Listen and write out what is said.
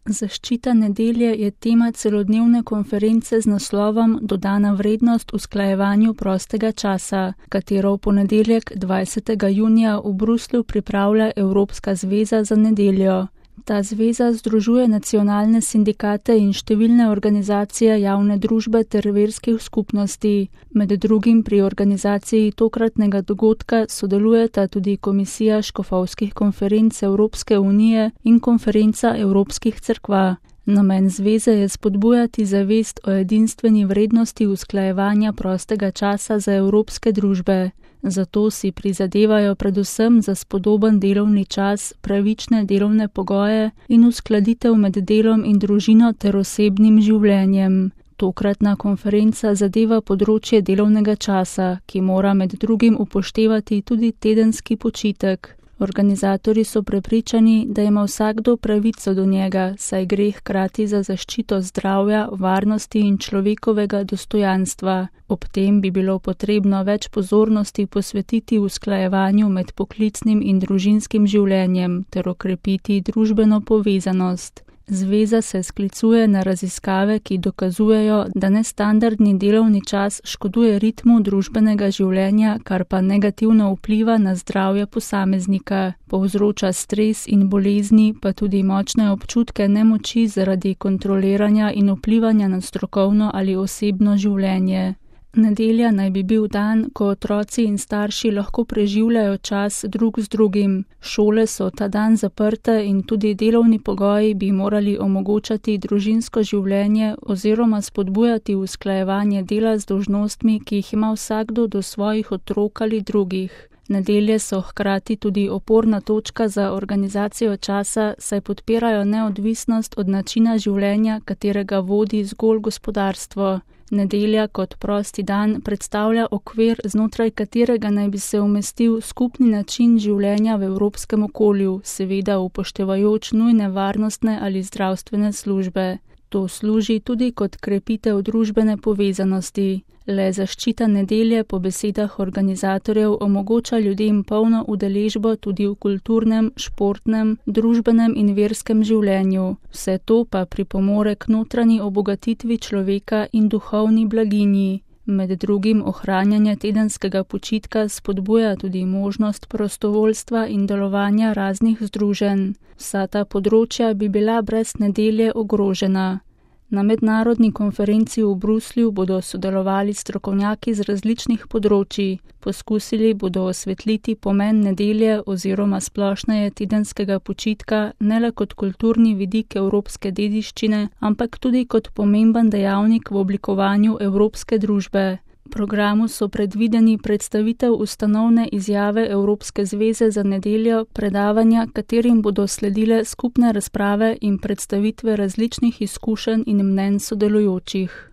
Zaščita nedelje je tema celodnevne konference z naslovom Dodana vrednost usklajevanju prostega časa, katero v ponedeljek 20. junija v Bruslju pripravlja Evropska zveza za nedeljo. Ta zveza združuje nacionalne sindikate in številne organizacije javne družbe ter verskih skupnosti. Med drugim pri organizaciji tokratnega dogodka sodelujeta tudi Komisija škofovskih konferenc Evropske unije in Konferenca evropskih cerkva. Namen zveze je spodbujati zavest o edinstveni vrednosti usklajevanja prostega časa za evropske družbe. Zato si prizadevajo predvsem za spodoben delovni čas, pravične delovne pogoje in uskladitev med delom in družino ter osebnim življenjem. Tokratna konferenca zadeva področje delovnega časa, ki mora med drugim upoštevati tudi tedenski počitek. Organizatorji so prepričani, da ima vsakdo pravico do njega, saj gre hkrati za zaščito zdravja, varnosti in človekovega dostojanstva. Ob tem bi bilo potrebno več pozornosti posvetiti usklajevanju med poklicnim in družinskim življenjem ter okrepiti družbeno povezanost. Zveza se sklicuje na raziskave, ki dokazujejo, da nestandardni delovni čas škoduje ritmu družbenega življenja, kar pa negativno vpliva na zdravje posameznika. Povzroča stres in bolezni, pa tudi močne občutke nemoči zaradi kontroliranja in vplivanja na strokovno ali osebno življenje. Nedelja naj bi bil dan, ko otroci in starši lahko preživljajo čas drug z drugim. Šole so ta dan zaprte in tudi delovni pogoji bi morali omogočati družinsko življenje oziroma spodbujati usklajevanje dela z dolžnostmi, ki jih ima vsakdo do svojih otrok ali drugih. Nedelje so hkrati tudi oporna točka za organizacijo časa, saj podpirajo neodvisnost od načina življenja, katerega vodi zgolj gospodarstvo. Nedelja kot prosti dan predstavlja okvir, znotraj katerega naj bi se umestil skupni način življenja v evropskem okolju, seveda upoštevajoč nujne varnostne ali zdravstvene službe. To služi tudi kot krepitev družbene povezanosti. Le zaščita nedelje po besedah organizatorjev omogoča ljudem polno udeležbo tudi v kulturnem, športnem, družbenem in verskem življenju. Vse to pa pripomore k notranji obogatitvi človeka in duhovni blaginji. Med drugim ohranjanje tedenskega počitka spodbuja tudi možnost prostovoljstva in delovanja raznih združenj. Vsa ta področja bi bila brez nedelje ogrožena. Na mednarodni konferenci v Bruslju bodo sodelovali strokovnjaki z različnih področij. Poskusili bodo osvetliti pomen nedelje oziroma splošneje tedenskega počitka ne le kot kulturni vidik evropske dediščine, ampak tudi kot pomemben dejavnik v oblikovanju evropske družbe. V programu so predvideni predstavitev ustanovne izjave Evropske zveze za nedeljo, predavanja, katerim bodo sledile skupne razprave in predstavitve različnih izkušenj in mnenj sodelujočih.